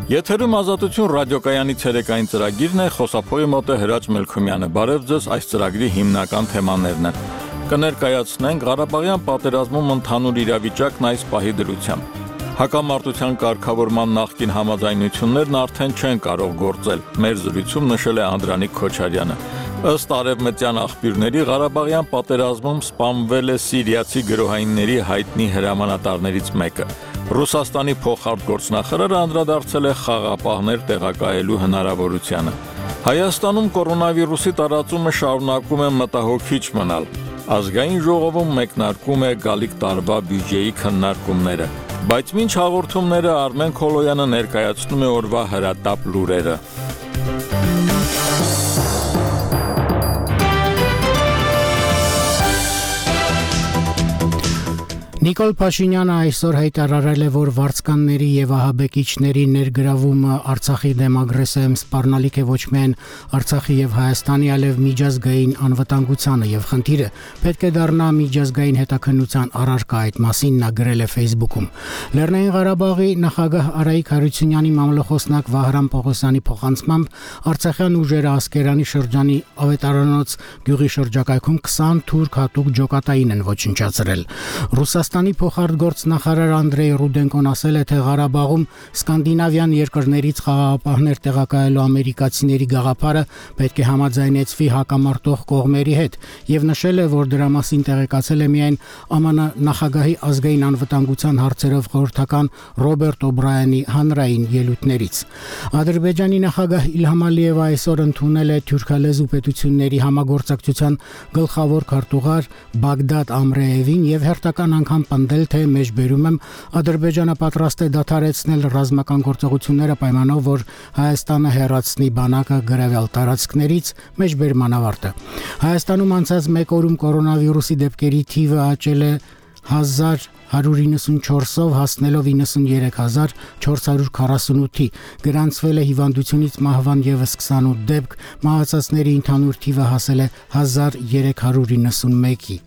Եթերում Ազատություն ռադիոկայանի ցերեկային ծրագիրն է, խոսափողի մոտ է Հրաչ Մելքումյանը։ Բարև ձեզ, այս ծրագրի հիմնական թեմաներն են։ Կներկայացնենք Ղարաբաղյան պատերազմում ընդհանուր իրավիճակն այս պահի դրությամբ։ Հակամարտության կարգավորման նախկին համաձայնություններն արդեն չեն կարող գործել։ Մեր զրույցում նշել է Անդրանիկ Քոչարյանը։ Ըստ արևմտյան աղբյուրների Ղարաբաղյան պատերազմում սպանվել է սիրիացի գրոհայինների հայտնի հրամանատարներից մեկը։ Ռուսաստանի փոխարտգործնախարարը անդրադարձել է խաղապահներ տեղակայելու հնարավորությանը։ Հայաստանում կորոնավիրուսի տարածումը շարունակում է մտահոգիչ մնալ։ Ազգային ժողովում մեկնարկում է գալիք տարվա բյուջեի քննարկումները։ Բայց մինչ հաղորդումները Արմեն Քոլոյանը ներկայացնում է օրվա հրատապ լուրերը։ Նիկոլ Փաշինյանը այսօր հայտարարել է, որ վարձկանների եւ ահաբեկիչների ներգրավումը Արցախի դեմ ագրեսիայում սպառնալիք է ոչ միայն Արցախի եւ Հայաստանի, այլև միջազգային անվտանգությանը եւ խնդիրը պետք է դառնա միջազգային հետաքննության առարկա, այդ մասին նա գրել է Facebook-ում։ Լեռնային Ղարաբաղի նախագահ Արայիկ Հարությունյանի մամլոխոսնակ Վահրամ Պողոսյանի փոխանցմամբ Արցախյան ուժերը Ասկերանի շրջանի Ավետարանոց գյուղի շրջակայքում 20 թուրք հատուկ ջոկատային են ոչնչացրել։ Ռուսաստանի փոխարտգործնախարար Անդրեյ Ռուդենկոն ասել է, թե Ղարաբաղում սկանդինավյան երկրներից խաղաղապահներ տեղակայելու ամերիկացիների գաղափարը պետք է համաձայնեցվի հակամարտող կողմերի հետ եւ նշել է, որ դրա մասին տեղեկացել է միայն ԱՄՆ նախագահի ազգային անվտանգության հարցերով խորհրդական Ռոբերտ Օբրայանի հանրային ելույթներից։ Ադրբեջանի նախագահ Իլհամ Ալիևը այսօր ընդունել է թուրքալեզու պետությունների համագործակցության գլխավոր քարտուղար Բագդադ Ամրեևին եւ հերթական անգամ պնդել, թե մեջբերում եմ Ադրբեջանը պատրաստ է դադարեցնել ռազմական գործողությունները պայմանով, որ Հայաստանը հեռացնի բանակը գրավյալ տարածքներից, մեջբերման ավարտը։ Հայաստանում անցած մեկ օրում կորոնավիրուսի դեպքերի թիվը աճել է 1194-ով հասնելով 93448-ի, գրանցվել է հիվանդությունից մահվան եւս 28 դեպք, մահացածների ընդհանուր թիվը հասել է 1391-ի։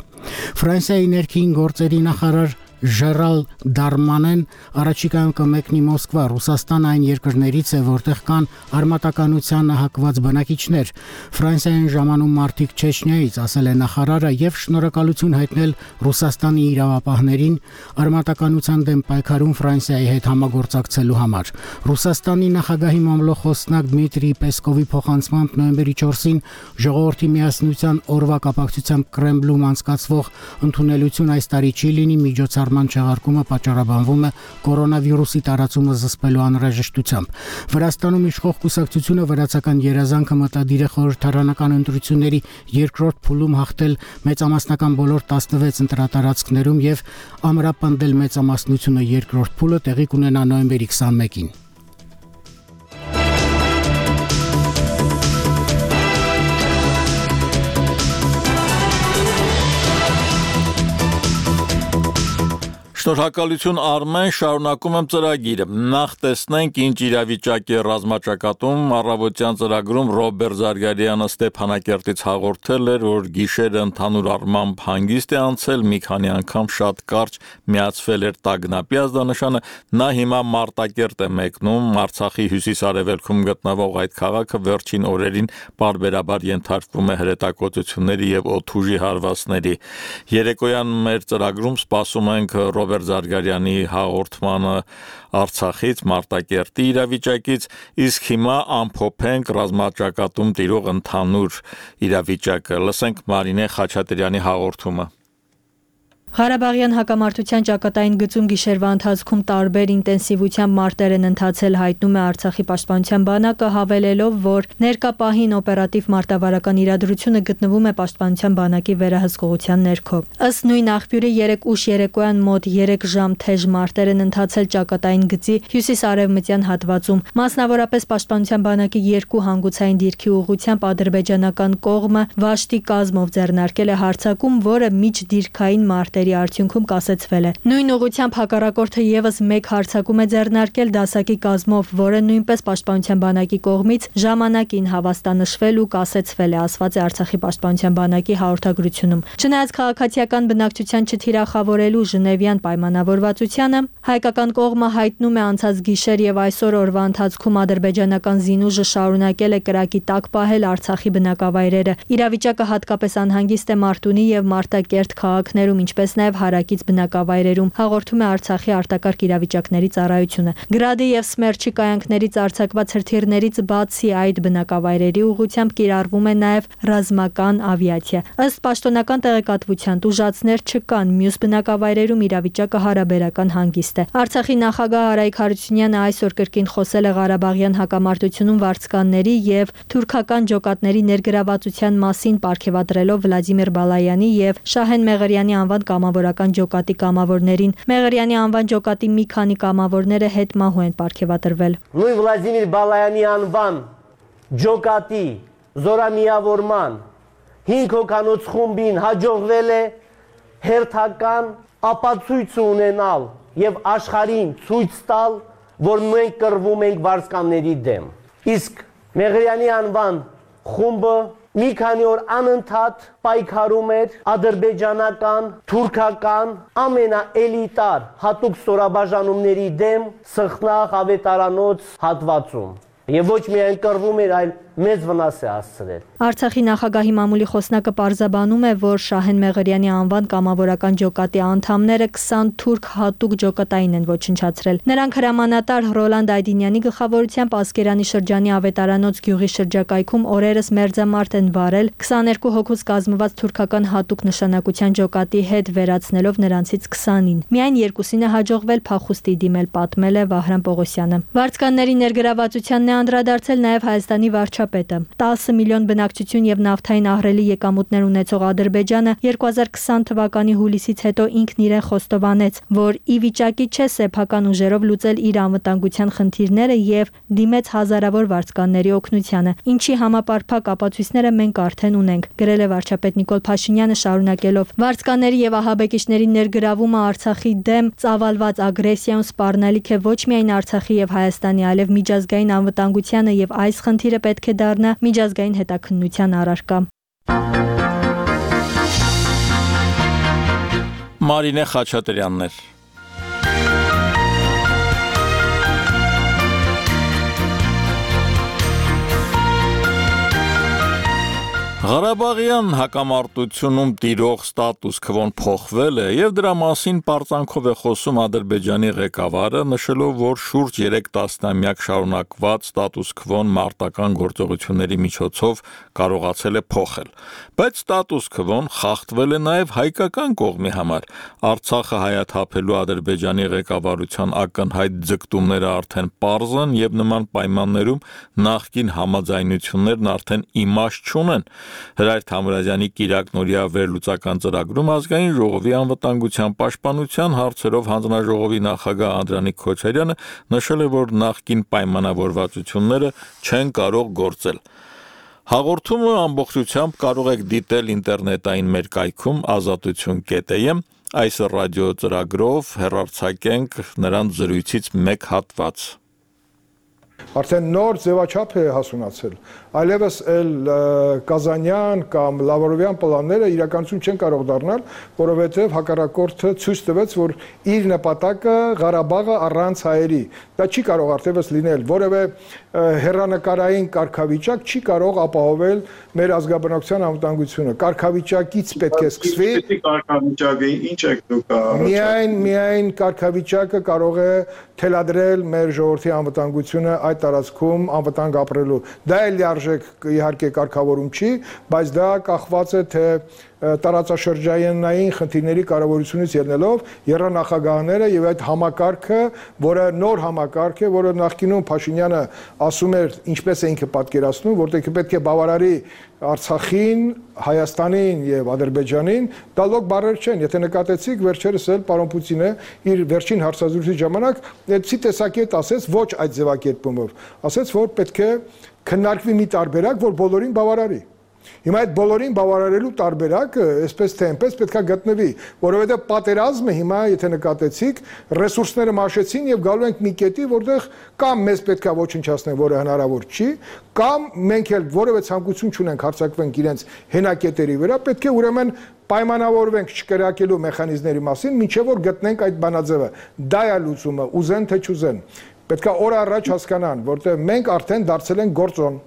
Ֆրանսիայի ներքին գործերի նախարար Ժերալ Դարմանեն առաջիկայում կմեկնի Մոսկվա։ Ռուսաստանը այն երկրներից է, որտեղ կան արմատականությանը հակված բնակիչներ։ Ֆրանսիային ժամանում մարդիկ Չեչնիայից, ասել է նախարարը, եւ շնորհակալություն հայտնել Ռուսաստանի իրավապահներին արմատականության դեմ պայքարում Ֆրանսիայի հետ համագործակցելու համար։ Ռուսաստանի նախագահի մամլոխոսնակ Դմիտրի Պեսկովի փոխանցմամբ նոյեմբերի 4-ին Ժողովրդի միասնության օրվա կապակցությամբ Կրեմլում անցկացվող ընդունելություն այս տարի չի լինի, միջոցառման չեղարկումը պատճառաբանվում է կորոնավիրուսի տարածումը զսպելու անհրաժեշտությամբ։ Վրաստանում իշխող կուսակցությունը վրացական երազանքը մտադիր է խորհրդարանական ընտրությունների երկրորդ փուլում հաղթել մեծամասնական բոլոր 16 ընտրատարածքներում եւ ամրապնդել մեծամասնությունը երկրորդ փուլը տեղի կունենա նոյեմբերի 21-ին։ Շնորհակալություն Արմեն, շարունակում եմ ծրագիրը։ Նախ տեսնենք ինչ իրավիճակ է ռազմաճակատում։ Առավոտյան ծրագրում Ռոբերտ Զարգարյանը Ստեփանակերտից հաղորդել էր, որ գիշերը ընդհանուր առմամբ հանգիստ է անցել, մի քանի անգամ շատ կարճ միացվել էր տագնապի ազդանշանը։ Նա հիմա Մարտակերտ է մեկնում, Արցախի հյուսիս-արևելքում գտնվող այդ քաղաքը վերջին օրերին պարբերաբար ենթարկվում է հրետակոծությունների եւ օդուժի հարվածների։ Երեկոյան մեր ծրագրում սպասում ենք Ռոբերտ Զարգարյանի հաղորդմանը Արցախից, Մարտակերտի իրավիճակից, իսկ հիմա ամփոփենք ռազմաճակատում տիրող ընդհանուր իրավիճակը։ Լսենք Մարինե Խաչատրյանի հաղորդումը։ Ղարաբաղյան հակամարտության ճակատային գծում գիշերվա ընթացքում տարբեր ինտենսիվությամբ մարտեր են ընթացել, հայտնում է Արցախի պաշտպանության բանակը, հավելելով, որ ներկա պահին օպերատիվ մարտավարական իրադրությունը գտնվում է պաշտպանության բանակի վերահսկողության ներքո։ Ըստ նույն աղբյուրի 3 ուշ երեկոյան մոտ 3 ժամ թեժ մարտեր են ընթացել ճակատային գծի հյուսիս-արևմտյան հատվածում։ Մասնավորապես պաշտպանության բանակի 2 հանգուցային դիրքի ուղղությամբ ադրբեջանական կողմը վաշտի կազմով ձեռնարկել է հարձակում, որը միջդիրքային մարտերի դատերի արդյունքում կասեցվել է։ Նույն ուղղությամբ հակառակորդը եւս մեկ հարձակում է ձեռնարկել դասակի կազմով, որը նույնպես պաշտպանության բանակի կողմից ժամանակին հավաստանշվել ու կասեցվել է, ասված է Արցախի պաշտպանության բանակի հաղորդագրությունում։ Չնայած քաղաքացիական բնակչության չթիրախավորելու Ժնևյան պայմանավորվածությանը, հայկական կողմը հայտնում է անցած գիշեր եւ այսօր օրվա ընթացքում ադրբեջանական զինուժը շարունակել է կրակի տակ պահել Արցախի բնակավայրերը։ Իրավիճակը հատկապես անհանգիստ է Մարտունի եւ Մարտակերտ քաղաքներում, ինչպես նաեւ հարակից բնակավայրերում, հաղորդում է Արցախի արտակարգ իրավիճակների ծառայությունը։ Գրադի եւ Սմերչի կայանքներից արձակված հրթիռներից բացի այդ բնակավայրերի ուղղությամբ կիրառվում է նաեւ ռազմական ավիացիա։ Ըստ պաշտոնական տեղեկատվության տուժածներ չկան, մյուս բնակավայրերում իրավիճակը հարաբերական հանգիստ է։ Արցախի նախագահ Արայք Հարությունյանը այսօր կրկին խոսել է Ղարաբաղյան հակամարտությունում վարձկանների եւ թուրքական ջոկատների ներգրավվածության մասին, պարգևատրելով Վլադիմիր Բալայանի եւ Շահեն Մեղրյանի անվան կամավորական ջոկատի կամավորներին։ Մեղրյանի անվան ջոկատի մի քանի կամավորները հետմահու են պարգևատրվել։ Նույն Վլադիմիր Բալայանի անվան ջոկատի զորամիավորման 5 հոգանոց խումբին հաջողվել է հերթական ապացույց ունենալ եւ աշխարհին ցույց տալ, որ մենք կռվում ենք վարձկանների դեմ։ Իսկ Մեղրյանի անվան խումբը մի քանի օր անընդհատ պայքարում էր ադրբեջանական, թուրքական, ամենաէլիտար հատուկ ստորաբաժանումների դեմ Սխնաղ ավետարանոց հատվածում։ Եվ ոչ միայն կռվում էր, այլ մեծ վնաս է հասցրել։ Արցախի նախագահի մամուլի խոսնակը պարզաբանում է, որ Շահեն Մեղրյանի անվան կամավորական ջոկատի անդամները 20 թուրք հատուկ ջոկատային են ոչնչացրել։ Նրանք հրամանատար Ռոլանդ Այդինյանի գլխավորությամբ Ասկերանի շրջանի ավետարանոց գյուղի շրջակայքում օրերս մերձամարտ են վարել 22 հոգուց կազմված թուրքական հատուկ նշանակության ջոկատի հետ, վերացնելով նրանցից 20-ին։ Միայն երկուսին է հաջողվել փախուստի դիմել, պատմել է Վահրամ Պողոսյանը։ Վարձկանների ներգրավվածությանն է անդրադարձել նաև Հայաստանի վարչապետը։ 10 միլիոն բնակչություն եւ նավթային ահռելի եկամուտներ ունեցող Ադրբեջանը 2020 թվականի հուլիսից հետո ինքն իրեն խոստովանեց, որ ի վիճակի չէ սեփական ուժերով լուծել իր անվտանգության խնդիրները եւ դիմեց հազարավոր վարձկանների օգնությանը, ինչի համապարփակ ապացույցները մենք արդեն ունենք, գրել է վարչապետ Նիկոլ Փաշինյանը, շարունակելով. վարձկանների եւ ահաբեկիչների ներգրավումը Արցախի դեմ ծավալված ագրեսիայում սպառնալիք է ոչ միայն Արցախի եւ Հայաստանի, այլև միջազգային անվտանգությանը եւ այս խնդիրը պետք է դառնա միջազգային հետաքննության առարկա։ Մարինե Խաչատրյաններ։ Ղարաբաղյան հակամարտությունում տիրող ստատուս քվոն փոխվել է եւ դրա մասին պարծանքով է խոսում Ադրբեջանի ղեկավարը, նշելով, որ շուրջ 3 տասնամյակ շարունակված ստատուս քվոն մարտական գործողությունների միջոցով կարողացել է փոխել։ Բայց ստատուս քվոն խախտվել է նաեւ հայկական կողմի համար։ Արցախը հայաթափելու Ադրբեջանի ղեկավարության ակնհայտ ձգտումները արդեն պարզ են եւ նման պայմաններում նախկին համաձայնություններն արդեն իմաստ չունեն։ Հրայր Թամրազյանի Կիրակնորիա վերլուծական ծրագրում ազգային ժողովի անվտանգության պաշտպանության հարցերով հանձնաժողովի նախագահ Անդրանիկ Քոչարյանը նշել է, որ նախկին պայմանավորվածությունները չեն կարող գործել։ Հաղորդումը ամբողջությամբ կարող եք դիտել ինտերնետային մեր կայքում azatutun.am, այս ռադիո ծրագրով հեռարձակենք նրանց զրույցից մեկ հատված։ Արդեն նոր ձևաչափ է հասունացել, այլևս Կազանյան կամ Լավրովյան պլանները իրականություն չեն կարող դառնալ, որովհետև հակառակորդը ցույց տվեց, որ իր նպատակը Ղարաբաղը առանց հայերի, դա չի կարող արդյունավետ լինել, որևէ հեռանկարային կարգավիճակ չի կարող ապահովել մեր ազգաբնակության անվտանգությունը, կարգավիճակից պետք է սկսվի, կարգավիճակը ինչ եք դուք միայն կարգավիճակը կարող է թելադրել մեր ժողովրդի անվտանգությունը այդ տարածքում անվտանգ ապրելու։ Դա էլ լիարժեք իհարկե կարգավորում չի, բայց դա կախված է թե տարածաշրջանային խնդիրների կարևորությունից ելնելով եռանախագահները եւ այդ համակարգը, որը նոր համակարգ է, որը նախկինում Փաշինյանը ասում էր, ինչպես է ինքը պատկերացնում, որտեղ պետք է բավարարի Արցախին, Հայաստանին եւ Ադրբեջանին, դա լոկ բառեր չեն։ Եթե նկատեցիք, վերջերս էլ պարոն Պուտինը իր վերջին հարցազրույցի ժամանակ այդպիսի տեսակետ ասեց, ոչ այդ ձևակերպումով, ասեց, որ պետք է քննարկվի մի տարբերակ, որ բոլորին բավարարի։ Հիմա այդ բոլորին բավարարելու տարբերակը այսպես թե այնպես պետք է գտնվի, որովհետև պատերազմը հիմա, եթե նկատեցիք, ռեսուրսները մաշեցին եւ գալու ենք մի կետի, որտեղ կամ մեզ պետք է ոչնչացնեն, որը հնարավոր չի, կամ մենք էլ որևէ ցանկություն չունենք հարձակվենք իրենց հենակետերի վրա, պետք է ուրեմն պայմանավորվենք չկրակելու մեխանիզմների մասին, մինչև որ գտնենք այդ բանաձևը։ Դա է լուծումը, ուզեն թե չուզեն։ Պետք է օր առաջ հասկանան, որտեղ մենք արդեն դարձել ենք գործոն։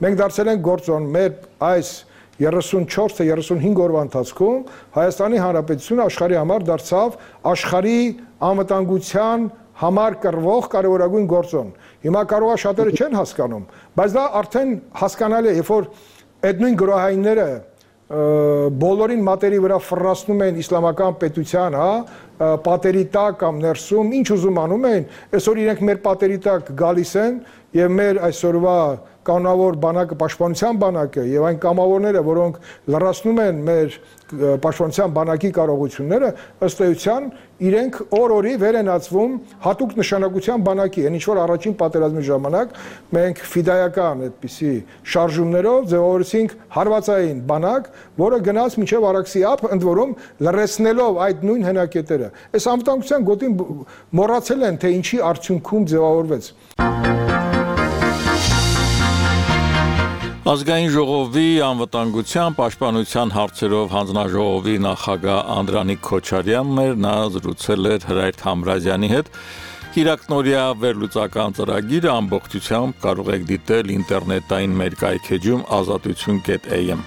Մենք դարձել ենք գործոն մեր այս 34 թե 35 օրվա ընթացքում Հայաստանի Հանրապետությունը աշխարհի համար դարձավ աշխարհի անվտանգության համար կռվող կարևորագույն գործոն։ Հիմա կարող է շատերը չեն հասկանում, բայց դա արդեն հասկանալի է, երբ որ այդ նույն գրոհայինները բոլորին մատերի վրա ֆռռացնում են իսլամական պետության, պատերի տակ կամ ներսում, ինչ ուզում անում են, այսօր իրենք մեր պատերի տակ գալիս են եւ մեր այսօրվա կանոնավոր բանակը, պաշտպանության բանակը եւ այն կամավորները, որոնք լրացնում են մեր պաշտպանության բանակի կարողությունները, ըստ էության իրենք օր-օրի վեր են ածվում հատուկ նշանակության բանակի, այն ինչ որ առաջին պատերազմի ժամանակ մենք ֆիդայական այդպիսի շարժումներով ձևավորեցինք հարվածային բանակ, որը գնաց մինչև Արաքսի ափ, ընդ որում լրացնելով այդ նույն հենակետերը։ Այս անվտանգության գոտին մոռացել են, թե ինչի արդյունքում ձևավորվեց։ Ազգային ժողովի անվտանգության պաշտպանության հարցերով հանձնաժողովի նախագահ Անդրանիկ Քոչարյանն էր, նա զրուցել էր Հրայր Թամրազյանի հետ։ Կիրակնօրյա վերլուծական ծրագիրը ամբողջությամբ կարող եք դիտել ինտերնետային մեր կայքեջում azatutun.am։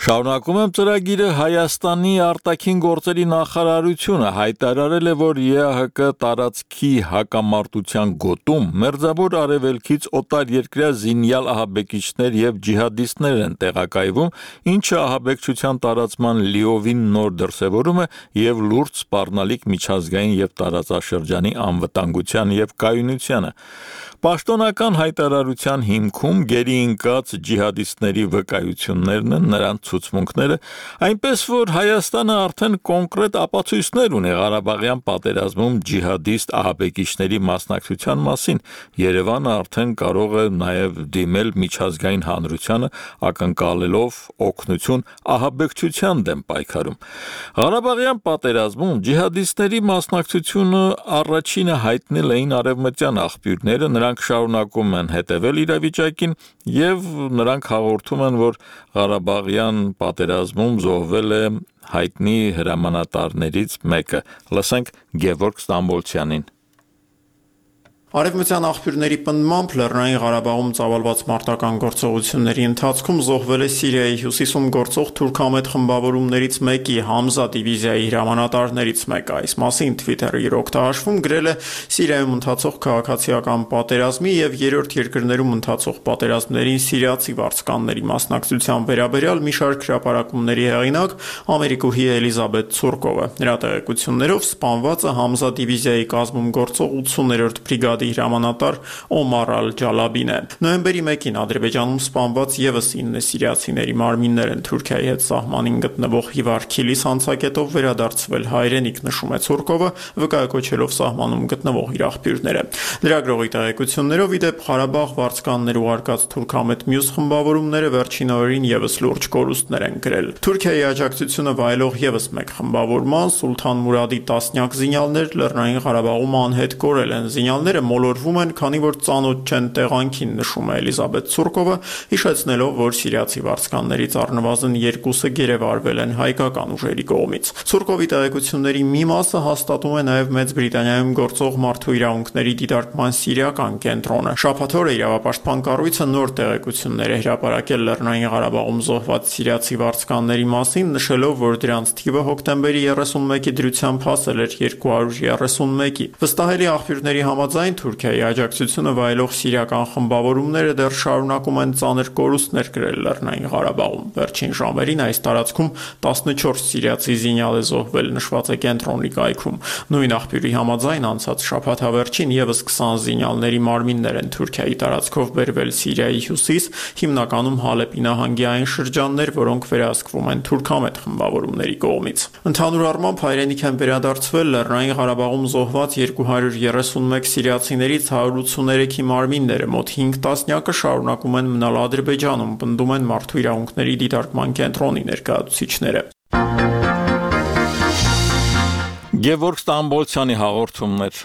Շարունակում եմ ծրագիրը Հայաստանի արտաքին գործերի նախարարությունը հայտարարել է, որ ԵԱՀԿ տարածքի հակամարտության գոտում մերձավոր արևելքից օտար երկրյա զինյալ ահաբեկիչներ եւ ջիհադիստներ են տեղակայվում, ինչը ահաբեկչության տարածման լիովին նոր դրսևորում է եւ լուրջ սպառնալիք միջազգային եւ տարածաշրջանի անվտանգության եւ կայունությանը։ Պաշտոնական հայտարարության հիմքում գերի ընկած ջիհադիստների վկայություններն են, նրանց ցուցմունքները, այնպես որ Հայաստանը արդեն կոնկրետ ապացույցներ ունի Ղարաբաղյան պատերազմում ջիհադիստ ահաբեկիչների մասնակցության մասին։ Երևանը արդեն կարող է նաև դիմել միջազգային հանրությանը, ակնկալելով օգնություն ահաբեկչության դեմ պայքարում։ Ղարաբաղյան պատերազմում ջիհադիստների մասնակցությունը առաջինը հայտնել էին արևմտյան աղբյուրները, նրանք շարունակում են հետևել իրավիճակին եւ նրանք հաղորդում են, որ Ղարաբաղյան պատերազմում զոհվել է հայտնի հրամանատարներից մեկը։ Լսենք Գևորգ Ստամբոլցյանին։ Արևմտյան աղբյուրների պնդմամբ Լեռնային Ղարաբաղում ծավալված մարտական գործողությունների ընթացքում զոհվել է Սիրիայի հյուսիսում գործող թուրքամետ խմբավորումներից մեկի Համզա դիվիզիայի հրամանատարներից մեկը։ Այս մասին Twitter-ի իր օգտահաշվում գրել է Սիրիայում ընթացող քաղաքացիական պատերազմի եւ երրորդ երկրներում ընթացող պատերազմներին սիրիացի վարձկանների մասնակցության վերաբերյալ մի շարք հրապարակումների հեղինակ ամերիկուհի Էլիզաբեթ Ցուրկովը։ Նրա տեղեկություններով սպանվածը Համզա դիվիզիայի կազմում գործող 80-րդ բրիգադի հրամանատար Օմար Ալ-Ջալաբին է։ Նոյեմբերի 1-ին Ադրբեջանում սպանված եւս 9 սիրիացիների մարմիններ են Թուրքիայի հետ սահմանին գտնվող Հիվարքիլիս հանցակետով վերադարձվել հայրենիք, նշում է Ցուրկովը, վկայակոչելով սահմանում գտնվող իր աղբյուրները։ Լրագրողի տեղեկություններով ի դեպ Ղարաբաղ վարձկաններ ուղարկած թուրքամետ մյուս խմբավորումները վերջին օրերին եւս լուրջ կորուստներ են գրել։ Թուրքիայի աջակցությունը վայելող եւս մեկ խմբավորման Սուլթան Մուրադի տասնյակ զինյալներ Լեռնային Ղարաբաղում անհետ կորել են։ Զինյալները մոլորվում են, քանի որ ծանոթ չեն տեղանքին, նշում է Էլիզաբեթ Ցուրկովը, հիշեցնելով, որ սիրիացի վարձկաններից առնվազն 2-ը գերեվարվել են հայկական ուժերի կողմից։ Ցուրկովի տեղեկությունների մի մասը հաստատում է նաև Մեծ Բրիտանիայում գործող մարդու իրավունքների դիտարկման սիրիական կենտրոնը։ Շաբաթ օրը իրավապաշտպան կառույցը նոր տեղեկություններ է հրապարակել Լեռնային Ղարաբաղում զոհված սիրիացի վարձկանների մասին, նշելով, որ դրանց թիվը հոկտեմբերի 31-ի դրությամբ հասել էր 231-ի։ Վստահելի աղբյուրների համաձայն Թուրքիայի աջակցությունը վայելող սիրիական խմբավորումները դեռ շարունակում են ծանր կորուստներ կրել Լեռնային Ղարաբաղում։ Վերջին ժամերին այս տարածքում 14 սիրիացի զինյալ է զոհվել, նշված է կենտրոնի կայքում։ Նույն աղբյուրի համաձայն անցած շաբաթավերջին եւս 20 զինյալների մարմիններ են Թուրքիայի տարածքով բերվել Սիրիայի հյուսիս, հիմնականում Հալեպի նահանգի այն շրջաններ, որոնք վերահսկվում են թուրքամետ խմբավորումների կողմից։ Ընդհանուր առմամբ հայրենիք են վերադարձվել Լեռնային Ղարաբաղում զոհված 231 սիրիացիներից 183-ի մարմինները, մոտ 5 տասնյակը շարունակում են մնալ Ադրբեջանում, պնդում են Մարդու իրավունքների դիտարկման կենտրոնի ներկայացուցիչները։ Գևորգ Ստամբոլցյանի հաղորդումներ։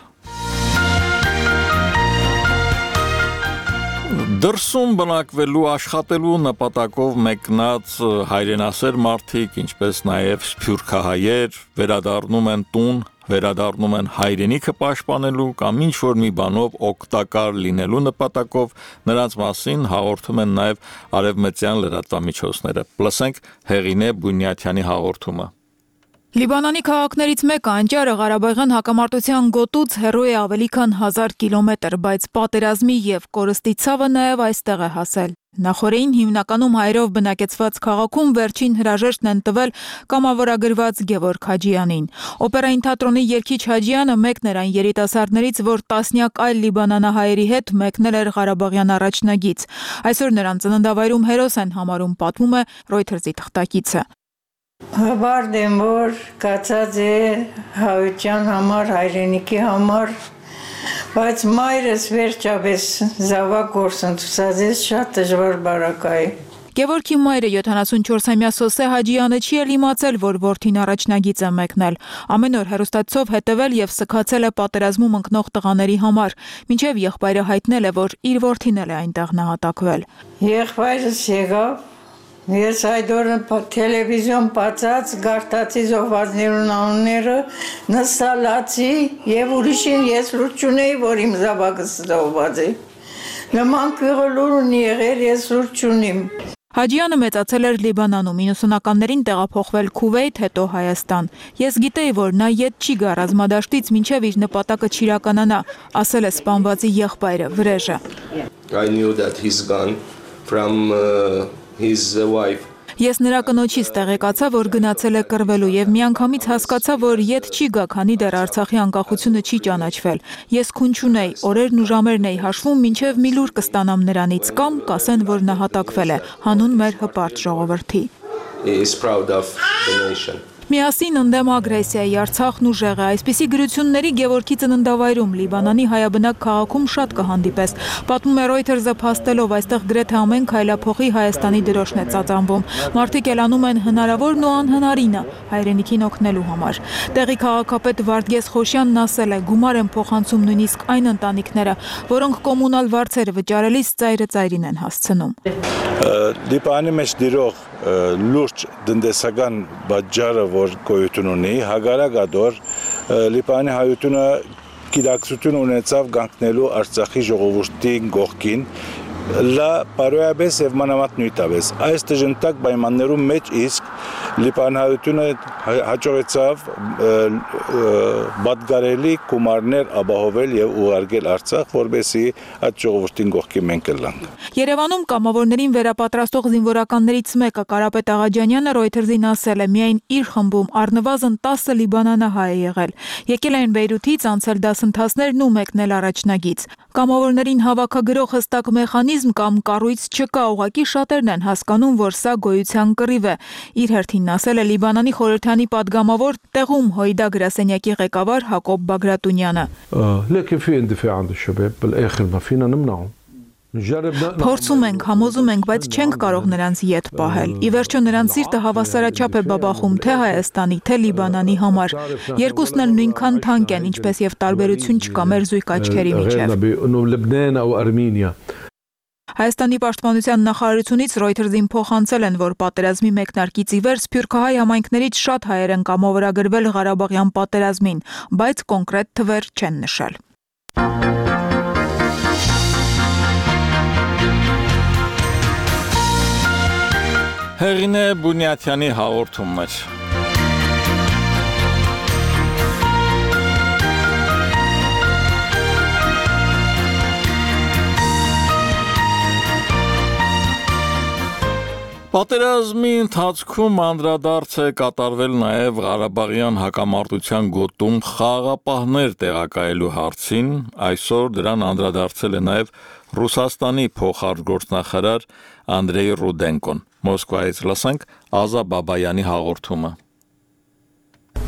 Դրսում բնակվելու աշխատելու նպատակով մեկնած հայրենասեր մարդիկ, ինչպես նաև սփյուռքահայեր, վերադառնում են տուն, վերադառնում են հայրենիքը պաշտպանելու կամ ինչ-որ մի բանով օգտակար լինելու նպատակով, նրանց մասին հաղորդում են նաև արևմտյան լրատվամիջոցները։ Լսենք Հեղինե Բունյաթյանի հաղորդումը։ Լիբանանի քաղաքներից մեկը Անջարը Ղարաբաղյան հակամարտության գոտուց հեռու է ավելի քան 1000 կիլոմետր, բայց պատերազմի եւ կորստի ցավը նաեւ այստեղ է հասել։ Նախորդին հիմնականում հայերով բնակեցված քաղաքում վերջին հրաժեշտն են տվել կամավորագրված Գևորգ Հաջյանին։ Օպերային թատրոնի երգիչ Հաջյանը մեկն էր այն երիտասարդներից, որ տասնյակ այլ լիբանանահայերի հետ մեկնել էր Ղարաբաղյան առաջնագից։ Այսօր նրան ծննդավայրում հերոս են համարում, պատմում է Reuters-ի թղթակիցը։ Հավարդ եմ, որ կացած է հայության համար, հայրենիքի համար, բայց մայրս վերջապես զավակ գործընթացած է շատ դժվար բարակայի։ Գևորգի մայրը 74-ամյա Սոսե Հաջյանը չի էլ իմացել, որ որդին առաջնագիծ է մեկնել։ Ամեն օր հեռուստացով հետևել եւ սքացել է պատերազմում ընկնող տղաների համար, մինչեւ եղբայրը հայտնել է, որ իր որդին էլ է այնտեղ նահատակվել։ Եղբայրս եկավ, ես այդ օրը տելևիզիոն բացած, գարտացի զոհվածներուն անունները, նստալացի եւ ուրիշին ես լուր չունեի, որ իմ զավակս զոհված է։ Նման քյուրը ունի եղել, ես լուր չունիմ։ Հաջյանը մեծացել էր Լիբանանում, 90-ականներին տեղափոխվել Քուվեյթ, հետո Հայաստան։ Ես գիտեի, որ նա ետ չի գա ռազմադաշտից, մինչև իր նպատակը չիրականանա, ասել է սպանվածի եղբայրը, Վրեժը։ I knew that he's gone from his wife. Ես նրա կնոջից տեղեկացա, որ գնացել է կռվելու եւ միանգամից հասկացա, որ ետ չի գա, քանի դեռ Արցախի անկախությունը չի ճանաչվել։ Ես քուն չունեի, օրերն ու ժամերն էի հաշվում, մինչեւ մի լուր կստանամ նրանից կամ կասեն, որ նահատակվել է, հանուն մեր հպարտ ժողովրդի։ He is proud of the nation. Միասին ընդդեմ ագրեսիայի, Արցախն ուժեղ է, այսպիսի գրությունների Գևորգի ծննդավայրում Լիբանանի հայաբնակ քաղաքում շատ կհանդիպես։ Պատմում է Reuters-ը փաստելով, այստեղ գրեթե ամեն քայլափոխի Հայաստանի դրոշն է ծածանվում։ Մարդիկ ելանում են հնարավորն ու անհնարինը հայրենիքին օգնելու համար։ Տեղի քաղաքապետ Վարդգես Խոշյանն ասել է, գումար են փոխանցում նույնիսկ այն ընտանիքները, որոնք կոմունալ վարձերը վճարելիս ծայրը ծայրին են հասցնում։ Լիբանի մեջ դիրող լուրջ տնտեսական բաժարը, որ գոյություն ունի, հագարակադոր Լիբանի հայությունը գիտակցություն ունեցավ կանգնելու Արցախի ժողովրդի կողքին, լա բարոյաբես եւ մանավանդ նույնտաբես։ Այս դժնտակ պայմաններում մեջ իսկ Լիբանի հայությունը հաջողեցավ պատգարելի գումարներ ապահովել եւ ուղարկել Արցախ, որբեսի այդ ժողովրդին կողքին մենք լանք։ Երևանում կամավորներին վերապատրաստող զինվորականներից մեկը Կարապետ Աղաջանյանը Reuters-ին ասել է, միայն իր խմբում առնվազն 10 լիբանանահայ է եղել։ Եկել են Բեյրութից, անցել դասընթացներն ու մեկնել առաջնագից։ Կամավորներին հավաքագրող հստակ մեխանիզմ կամ կառույց չկա, ուղղակի շատերն են հասկանում, որ սա գոյության կռիվ է։ Իր հերթին ասել է Լիբանանի խորհրդանի падգամավոր տեղում Հոյդա գրասենյակի ղեկավար Հակոբ Բագրատունյանը։ Փորձում ենք, համոզում ենք, բայց չենք կարող նրանց ետ պահել։ Ի վերջո նրանց սիրտը հավասարաչափ է բաբախում թե Հայաստանի, թե Լիբանանի համար։ Երկուսն էլ նույնքան թանկ են, ինչպես եւ տարբերություն չկա մեր զույգ աչքերի միջեւ։ Հայաստանի պաշտպանության նախարարությունից Reuters-ին փոխանցել են, որ պատերազմի մեկնարկից ի վեր սփյուռքահայ համայնքներից շատ հայեր են կամավորագրվել Ղարաբաղյան պատերազմին, բայց կոնկրետ թվեր չեն նշել։ Հեղինե Բունյաթյանի հաղորդումներ։ Պատերազմի ընթացքում անդրադարձ է կատարվել նաև Ղարաբաղյան հակամարտության գոտում խաղաղապահներ տեղակայելու հարցին, այսօր դրան անդրադարձել է նաև Ռուսաստանի փոխարտգործնախարար Անդրեյ Ռուդենկոն։ Մոսկվայից լսենք Ազա Բաբայանի հաղորդումը։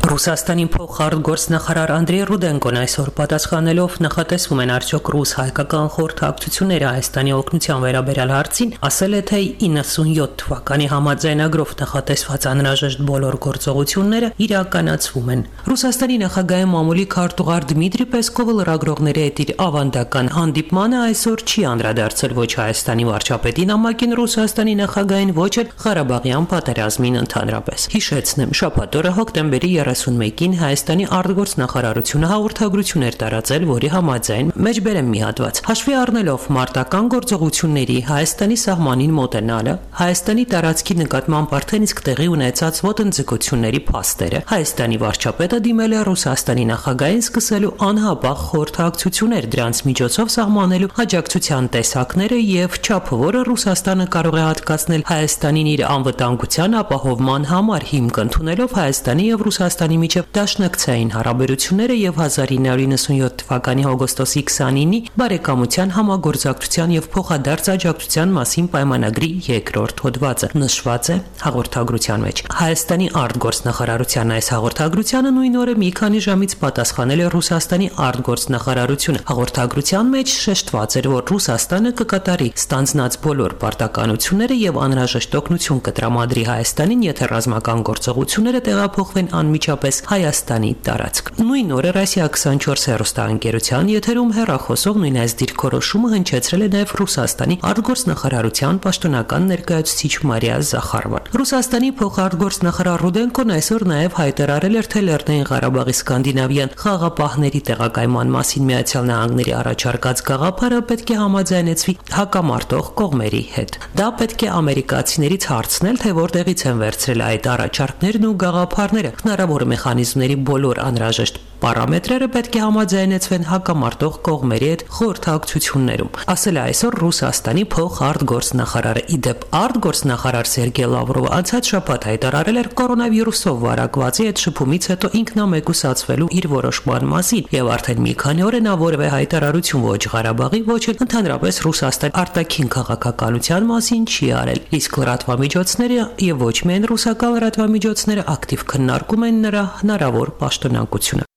Ռուսաստանի փոխարտգործնախարար Անդրեյ Ռուդենկոն այսօր պատասխանելով նախատեսվում են արդյոք ռուս-հայկական խորհրդակցությունները Հայաստանի օգնության վերաբերյալ հարցին, ասել է, թե 97 թվականի համաձայնագրով նախատեսված անհրաժեշտ բոլոր գործողությունները իրականացվում են։ Ռուսաստանի նախագահի մամուլի քարտուղար Դմիտրի Պեսկովը լրագրողների հետ իր ավանդական հանդիպմանը այսօր չի անդրադարձել ոչ Հայաստանի վարչապետի նամակին Ռուսաստանի նախագահին, ոչ էլ Ղարաբաղյան պատերազմին ընդհանրապես։ Հիշեցնեմ, շաբաթ օրը հոկտեմբերի 31-ին Հայաստանի արտգործնախարարությունը հաղորդագրություն էր տարածել, որի համաձայն մեջբերեմ մի հատված։ Հաշվի առնելով մարտական գործողությունների Հայաստանի սահմանին մոտենալը, Հայաստանի տարածքի նկատմամբ արդեն իսկ տեղի ունեցած ոտնձգությունների փաստերը, Հայաստանի վարչապետը դիմել է Ռուսաստանի նախագահին սկսելու անհապաղ խորհրդակցություններ, դրանց միջոցով սահմանելու աջակցության տեսակները եւ չափը, որը Ռուսաստանը կարող է հատկացնել Հայաստանին իր անվտանգության ապահովման համար, հիմք ընդունելով Հայաստանի եւ Ռուսաստանի միջև դաշնակցային հարաբերությունները եւ 1997 թվականի հոգոստոսի 29-ի բարեկամության համագործակցության եւ փոխադարձ աջակցության մասին պայմանագրի երկրորդ հոդվածը նշված է հաղորդագրության մեջ։ Հայաստանի արտգործնախարարության այս հաղորդագրությանը նույն օրը մի քանի ժամից պատասխանել է Ռուսաստանի արտգործնախարարությունը։ Հաղորդագրության մեջ շեշտված էր, որ Ռուսաստանը կկատարի ստանձնած բոլոր պարտականությունները եւ անհրաժեշտ օգնություն կտրամադրի Հայաստանին, եթե ռազմական գործողությունները տեղափոխվեն անմիջապես Հայաստանի տարածք։ Նույն օրը Ռասիա 24 հեռուստաընկերության եթերում հեռախոսող նույն այս դիրքորոշումը հնչեցրել է նաև Ռուսաստանի արտգործնախարարության պաշտոնական ներկայացուցիչ Մարիա Զախարովան։ Ռուսաստանի փոխարտգործնախարար Ռուդենկոն այսօր նաև հայտարարել էր, թե Լեռնային Ղարաբաղի սկանդինավյան խաղաղապահների տեղակայման մասին Միացյալ Նահանգների առաջարկած գաղափարը պետք է համաձայնեցվի հակամարտող կողմերի հետ։ Դա պետք է ամերիկացիներից հարցնել, թե որտեղից են վերցրել այդ առաջարկներն ու գաղափարները։ Հնարավոր մեխանիզմների բոլոր անհրաժեշտ պարամետրերը պետք է համաձայնեցվեն հակամարտող կողմերի հետ խորհրդակցություններում, ասել է այսօր Ռուսաստանի փոխարտգործնախարարը։ Իդեպ արտգործնախարար Սերգեյ Լավրովը անցած շաբաթ հայտարարել էր կորոնավիրուսով վարակվածի հետ շփումից հետո ինքնամեկուսացվելու իր որոշման մասին եւ արդեն մի քանի օր է նա որևէ հայտարարություն ոչ Ղարաբաղի, ոչ էլ ընդհանրապես Ռուսաստանի արտաքին քաղաքականության մասին չի արել։ Իսկ լրատվամիջոցները եւ ոչ միայն ռուսական լրատվամիջոցները ակտիվ քննարկում են նրա հնարավոր պաշտոնակությունը։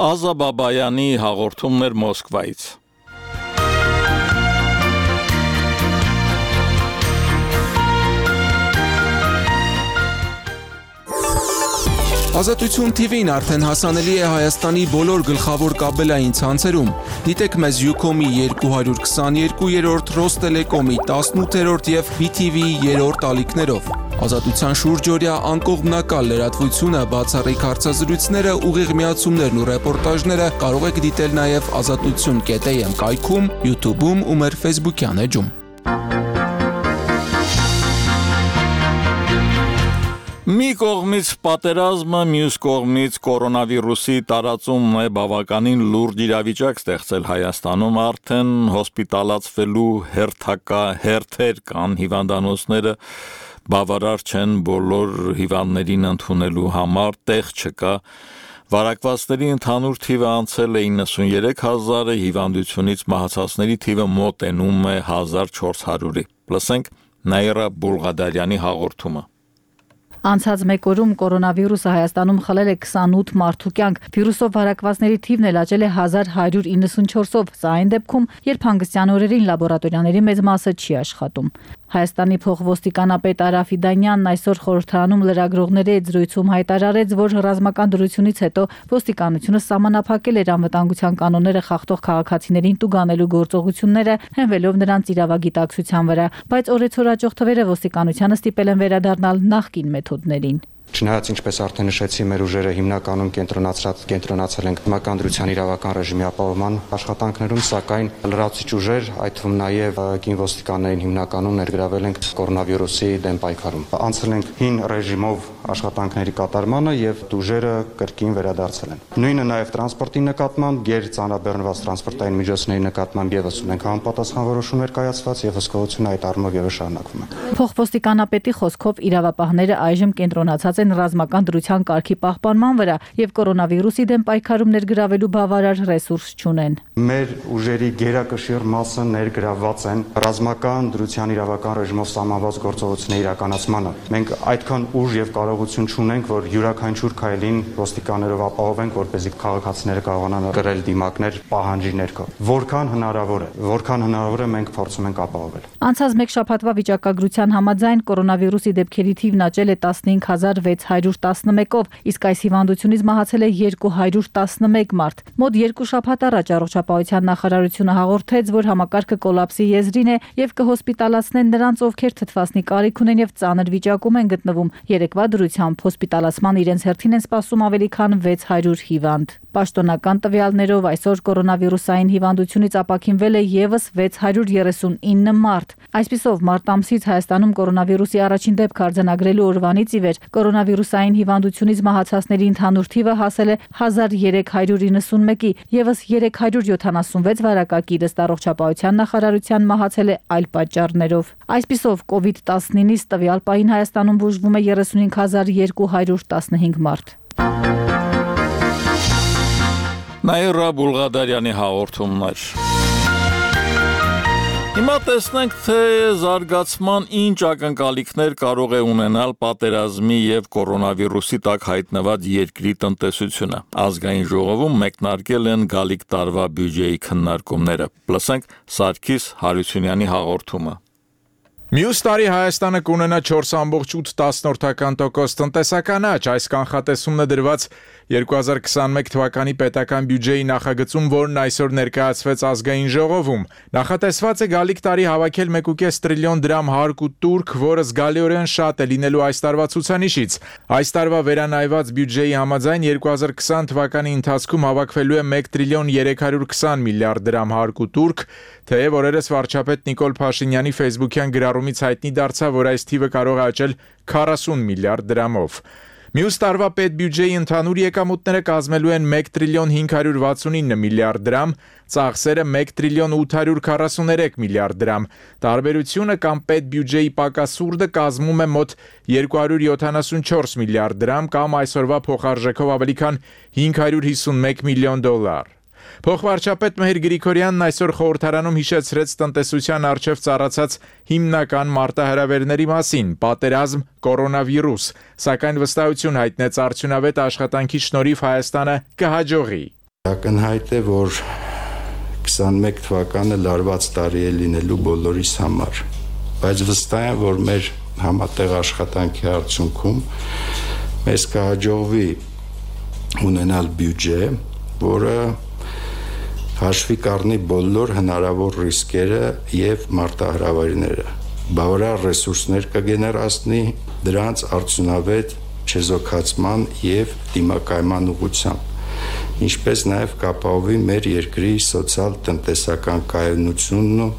Ազա Բաբայանի հաղորդումներ Մոսկվայից։ Ազատություն TV-ն արդեն հասանելի է Հայաստանի բոլոր գլխավոր կաբելային ցանցերում։ Դիտեք մեզ Ucom-ի 222-րդ, Ռոստելեկոմի 18-րդ եւ BTV-ի 3-րդ ալիքներով։ Ազատության շուրջօրյա անկողմնակալ լրատվությունը, բացառիկ հարցազրույցները, ուղիղ միացումներն ու ռեպորտաժները կարող եք դիտել նաեւ azatutun.am կայքում, YouTube-ում ու մեր Facebook-յան էջում։ Մի կողմից պատերազմը, մյուս կողմից կորոնավիրուսի տարածումն է բավականին լուրջ իրավիճակ ստեղծել Հայաստանում, արդեն հոսպիտալացվելու հերթեր կան, հիվանդանոցները բավարար չեն բոլոր հիվանդներին ընդունելու համար, տեղ չկա, վարակվածների ընդհանուր թիվը անցել է 93,000-ը, հիվանդությունից մահացածների թիվը մոտենում է 1400-ի։ Լսենք Նաիրա Բուլղադարյանի հաղորդումը։ Անցած մեկ օրում կորոնավիրուսը Հայաստանում խլել է 28 մարդու կյանք, վիրուսով վարակվածների թիվն էլ աճել է 1194-ով, սա այն դեպքում, երբ հանգստյան օրերին լաբորատորիաների մեծ մասը չի աշխատում։ Հայաստանի փոխոստիկանապետ Արա Ֆիդանյանն այսօր խորհրդարանում լրագրողների հետ զրույցում հայտարարեց, որ ռազմական դրությունից հետո ոստիկանությունը սահմանափակել էր անվտանգության կանոնները խախտող քաղաքացիներին տուգանելու գործողությունները, հենվելով նրանց իրավագիտակցության վրա, բայց օրեցօր աճող թվերը ոստիկանությանը ստիպել են վերադառնալ նախկին մեթոդներին։ Չնայած ինչպես արդեն նշեցի, մեր ուժերը հիմնականում կենտրոնացել են մականդրության իրավական ռեժիմի ապահովման աշխատանքներում, սակայն լրացուցիչ ուժեր, այդ թվում նաև կին ոստիկաններին հիմնականում ներգրավել ենք կորոնավիրուսի դեմ պայքարում։ Անցել ենք հին ռեժիմով աշխատանքների կատարմանը եւ ուժերը կրկին վերադարձել են։ Նույնը նաև տրանսպորտի նկատմամբ, գերծանրաբեռնված տրանսպորտային միջոցների նկատմամբ եւս ունենք համապատասխան որոշումներ կայացված եւ հսկողությունը այդ առումով եւս շարունակվում է։ Փոխոստիկանապետի խոսքով իրավապահները այժմ կենտրոնացած են ռազմական դրության կարգի պահպանման վրա եւ կորոնավիրուսի դեմ պայքարում ներգրավելու բավարար ռեսուրս չունեն։ Մեր ուժերի գերակշիռ մասը ներգրավված են ռազմական դրության իրավական ռեժիմով սահմանված գործողությունների իրականացմանը։ Մենք այդքան ուժ եւ կարողություն չունենք, որ յուրաքանչյուր քայլին ոստիկաններով ապահովենք, որպեսզի քաղաքացիները կարողանան կրել դիմակներ պահանջի ներքո։ Որքան հնարավոր է մենք փորձում ենք ապահովել։ Անցած մեկ շաբաթվա վիճակագրության համաձայն կորոնավիրուսի դեպքերի թիվն աճել է 15611-ով, իսկ այս հիվանդությունից մահացել է 211 մարդ։ Մոտ 2 շաբաթ առաջ առողջապահության նախարարությունը հաղորդեց, որ համակարգը կոլապսի եզրին է եւ կհոսպիտալացնեն նրանց, ովքեր թթվասնի կարիք ունեն եւ ծանր վիճակում են գտնվում։ Երեկվա դրությամբ հոսպիտալացման իրենց հերթին են սպասում ավելի քան 600 հիվանդ։ Պաշտոնական տվյալներով այսօր կորոնավիրուսային հիվանդությունից ապաքինվել է եւս 639 մարդ։ Այսպիսով մարտ ամսից Հայաստանում կորոնավիրուսի առաջին դեպք արձանագրելու օրվանից ի վեր կորոնավիրուսային հիվանդությունից մահացածների ընդհանուր թիվը հասել է 1391-ի, եւս 376 վարակակիր ըստ առողջապահության նախարարության մահացել է այլ պատճառներով։ Այսպիսով COVID-19-ից տվյալ պահին Հայաստանում բուժվում է 35215 մարդ։ Նաիրա Բուլղադարյանի հաղորդումներ։ Հիմա տեսնենք, թե զարգացման ինչ ակնկալիքներ կարող է ունենալ պատերազմի եւ կորոնավիրուսի տակ հայտնված երկրի տնտեսությունը։ Ազգային ժողովում մեկնարկել են գալիք տարվա բյուջեի քննարկումները։ Լսենք Սարգիս Հարությունյանի հաղորդումը։ Մյուս տարի Հայաստանը կունենա 4.8% տնտեսական աճ, այս կանխատեսումն է դրված 2021 թվականի պետական բյուջեի նախագծում, որն այսօր ներկայացվեց ազգային ժողովում։ Նախատեսված է գալիք տարի հավաքել 1.5 տրիլիոն դրամ հարկ ու տուրք, որը զգալիորեն շատ է լինելու այս տարվա ցուցանիշից։ Այս տարվա վերանայված բյուջեի համաձայն 2020 թվականի ընթացքում հավաքվելու է 1 տրիլիոն 320 միլիարդ դրամ հարկ ու տուրք, թեև օրերս վարչապետ Նիկոլ Փաշինյանի Facebook-յան գրառումից հայտնի դարձավ, որ այս թիվը կարող է աճել 40 միլիարդ դրամով։ Մյուս տարվա պետբյուջեի ընդհանուր եկամուտները կազմելու են 1 տրիլիոն 569 միլիարդ դրամ, ծախսերը 1 տրիլիոն 843 միլիարդ դրամ։ Տարբերությունը կամ պետբյուջեի պակասուրդը կազմում է մոտ 274 միլիարդ դրամ կամ այսօրվա փոխարժեքով ավելի քան 551 միլիոն դոլար։ Փոխվարչապետ Մհեր Գրիգորյանն այսօր խորհրդարանում հիշեցրեց տնտեսության առջև ծառացած հիմնական մարտահրավերների մասին՝ պատերազմ, կորոնավիրուս, սակայն վստահություն հայտնեց արդյունավետ աշխատանքի շնորհիվ Հայաստանը կհաջողի։ Ակնհայտ է, որ 21 թվականը լարված տարի է լինելու բոլորիս համար, բայց վստահ եմ, որ մեր համատեղ աշխատանքի արդյունքում մեզ կհաջողվի ունենալ բյուջե, որը հաշվի կառնի բոլոր հնարավոր ռիսկերը եւ մարտահրավերները, բավարար ռեսուրսներ կգեներացնի դրանց արդյունավետ չեզոքացման եւ դիմակայման ուղղությամբ, ինչպես նաեւ կապահովի մեր երկրի սոցիալ-տնտեսական կայունությունն ու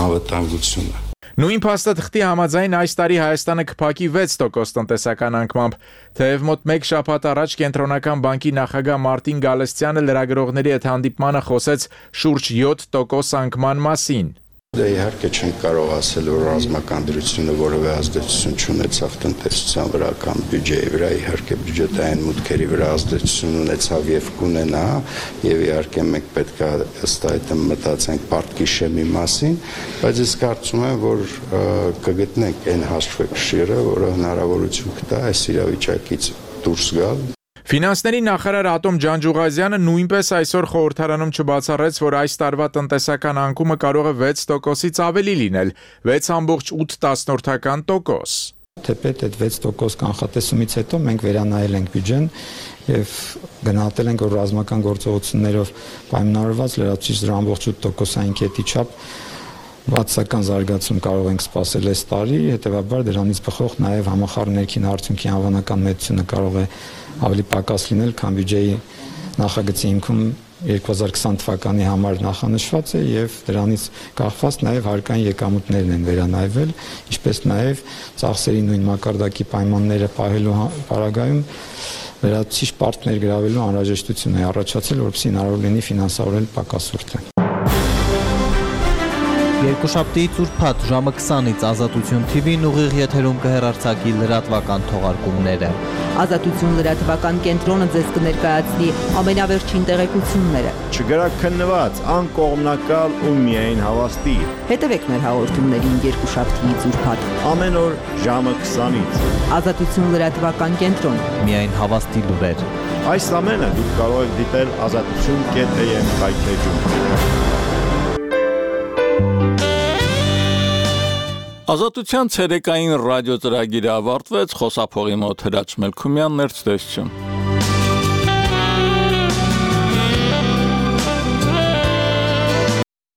անվտանգությունը։ Նույն փաստաթղթի համաձայն այս տարի Հայաստանը կփակի 6% տնտեսական անկմամբ, թեև մոտ 1 շաբաթ առաջ Կենտրոնական բանկի նախագահ Մարտին Գալստյանը լրագրողների հետ հանդիպմանը խոսեց շուրջ 7% անկման մասին։ Դե իհարկե չենք կարող ասել, որ ռազմական դրությունը որևէ ազդեցություն չունեցավ տնտեսության վրա կամ բյուջեի վրա, իհարկե բյուջետային մուտքերի վրա ազդեցություն ունեցավ եւ կունենա, եւ իհարկե մենք պետք է ըստ այդմ մտածենք պարտքիշեմի մասին, բայց ես կարծում եմ, որ կգտնենք այն հաշվեկշիռը, որը հնարավորություն կտա այս իրավիճակից դուրս գալ։ Ֆինանսների նախարար Ատոմ Ջանջուղազյանը նույնպես այսօր խորհրդարանում չբացառեց, որ այս տարվա տնտեսական անկումը կարող է 6%-ից ավելի լինել, 6.8%։ Թեպետ այդ 6% կանխատեսումից հետո մենք վերանայել ենք բյուջեն եւ գնահատել ենք, որ ռազմական գործողություններով պայմանավորված լրացուցիչ դրա ամբողջ 8%-ային կետի չափ բացական զարգացում կարող ենք սպասել այս տարի, հետեւաբար դրանից բխող նաև համախառն ներքին արդյունքի անվանական մեծությունը կարող է ավելի պակաս լինել, քան բյուջեի նախագծի հիմքում 2020 թվականի համար նախանշված է եւ դրանից կախված նաև հարկային եկամուտներն են վերանայվել, ինչպես նաև ծախսերի նույն մակարդակի պայմանները պահելու պարագայում վերացիչ պարտներ գրավելու անհրաժեշտություն է առաջացել, որպեսզի հնարավոր լինի ֆինանսավորել պակասուրդը։ Երկուշաբթի ծուրփաթ ժամը 20-ից Ազատություն TV-ն ուղիղ եթերում կհեռարձակի լրատվական թողարկումները։ Ազատություն լրատվական կենտրոնը ձեզ կներկայացնի ամենավերջին տեղեկությունները։ Չգրաքննված, անկողմնակալ ու միայն հավաստի։ Հետևեք մեր հաղորդումներին երկուշաբթի ծուրփաթ։ Ամեն օր ժամը 20-ից։ Ազատություն լրատվական կենտրոն։ Միայն հավաստի լուրեր։ Այս ամենը դուք կարող եք դիտել azatutun.am կայքեջում։ Ազատության ցերեկային ռադիո ծրագիրը ավարտվեց, խոսափողի մոտ Հրաչ Մելքումյանն էր ցտեսություն։